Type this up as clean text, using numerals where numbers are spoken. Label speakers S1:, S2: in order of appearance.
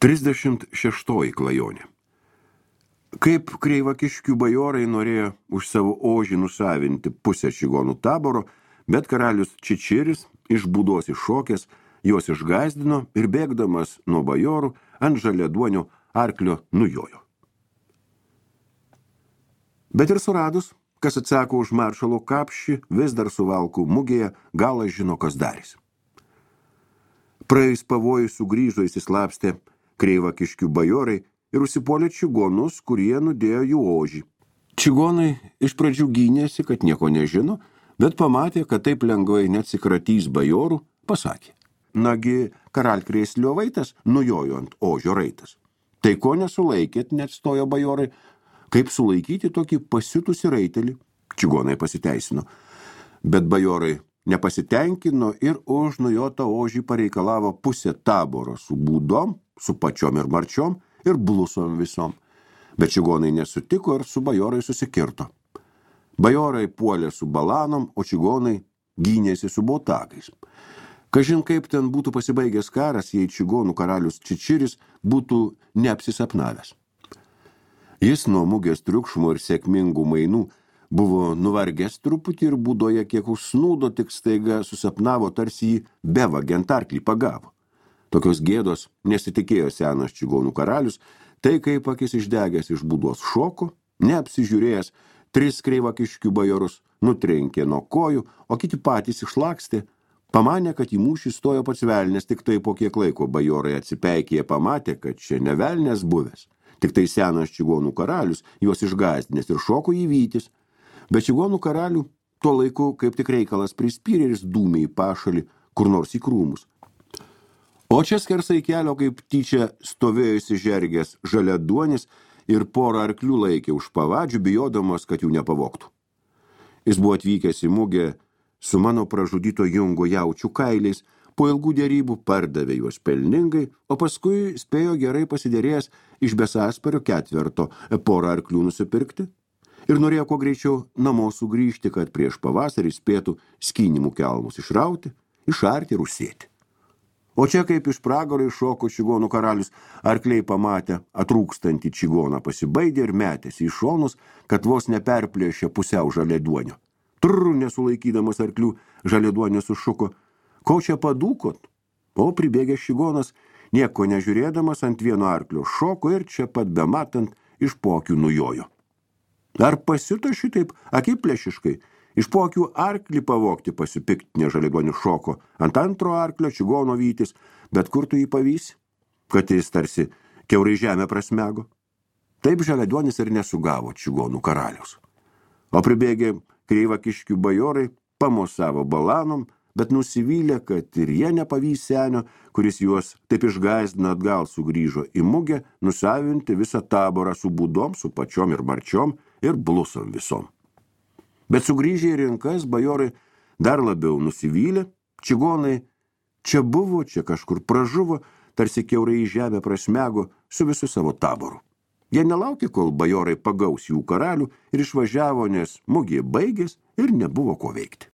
S1: 36 klajonė. Kaip Kreivakiškių bajorai norėjo už savo ožį nusavinti pusę čigonų taboro, bet karalius Čičiris iš būdos iššokęs, juos išgąsdino ir bėgdamas nuo bajorų ant žaliaduonio arklio nujojo. Bet ir suradus, kas atsako už maršalo kapšį, vis dar suvalkų mugėje galas žino, kas darys. Praėjus pavojui sugrįžo įsislapstė Kreivakiškių bajorai ir užsipuolė čigonus, kurie nudėjo jų ožį. Čigonai iš pradžių gynėsi, kad nieko nežino, bet pamatė, kad taip lengvai neatsikratys bajorų, pasakė: nagi, karalkrėslio vaitas nujojo ant ožio raitas. Tai ko nesulaikėt, net stojo bajorai, kaip sulaikyti tokį pasiutusį raitelį? Čigonai pasiteisino, bet bajorai nepasitenkino ir už nujotą ožį pareikalavo pusę taboro su būdom, su pačiom ir marčiom ir blusom visom. Bet čigonai nesutiko ir su bajorai susikirto. Bajorai puolė su balanom, o čigonai gynėsi su botagais. Kažin kaip ten būtų pasibaigęs karas, jei čigonų karalius Čičiris būtų neapsisapnavęs. Jis nuo mugės triukšmo ir sėkmingų mainų buvo nuvargęs truputį ir būdoje kiek užsnūdo, tik staiga susapnavo, tarsi jį bevagiant arklį pagavo. Tokios gėdos nesitikėjo senas čigonų karalius, tai kaip akis išdegęs iš būdos šoko, neapsižiūrėjęs, 3 Kreivakiškių bajorus nutrenkė nuo kojų, o kiti patys išlakstė. Pamanė, kad į mūšį stojo pats velnės, tik tai po kiek laiko bajorai atsipeikė, pamatė, kad čia ne velnės buvęs. Tik tai senas čigonų karalius, juos išgąsdinęs ir šoko į vytis. Bet čigonų karalių tuo laiku kaip tik reikalas prispyrė ir dūmė į pašalį, kur nors į krūmus. O čia skersai kelio kaip tyčia stovėjusi žergės žaliaduonis ir porą arklių laikė už pavadžių, bijodamas, kad jų nepavogtų. Jis buvo atvykęs į mugę su mano pražudyto jungo jaučių kailiais, po ilgų dėrybų pardavė juos pelningai, o paskui spėjo gerai pasiderėjęs iš Besaspario ketverto porą arklių nusipirkti ir norėjo kuo greičiau namo sugrįžti, kad prieš pavasarį spėtų skynimų kelmus išrauti, išarti ir užsėti. O čia kaip iš pragaro iššoko čigonų karalius, arkliai pamatę atrūkstantį čigoną pasibaidė ir metėsi į šonus, kad vos neperplėšė pusiau žaliaduonio. Trrr, nesulaikydamas arklių, žaliaduonis sušuko: ko čia padūkot? O pribėgęs čigonas, nieko nežiūrėdamas, ant vieno arklio šoko ir čia pat bematant iš pokių nujojo. Ar pasiuto šitaip akiplėšiškai? Iš pokių arklį pavogti pasipiktinė žaliaduonis šoko, ant antro arklio čigono vytis, bet kur tu jį pavysi, kad jis tarsi kiaurai žemę prasmego? Taip žaliaduonis ir nesugavo čigonų karaliaus. O pribėgė Kreivakiškių bajorai pamosavo balanom, bet nusivylė, kad ir jie nepavys senio, kuris juos taip išgąsdino, atgal sugrįžo į mugę nusavinti visą taborą su būdom, su pačiom ir marčiom ir blusom visom. Bet sugrįžę į rinkas, bajorai dar labiau nusivylė, čigonai čia buvo, čia kažkur pražuvo, tarsi kiaurai į žemę prasmego su visu savo taboru. Jie nelaukė, kol bajorai pagaus jų karalių ir išvažiavo, nes mugė baigės ir nebuvo ko veikti.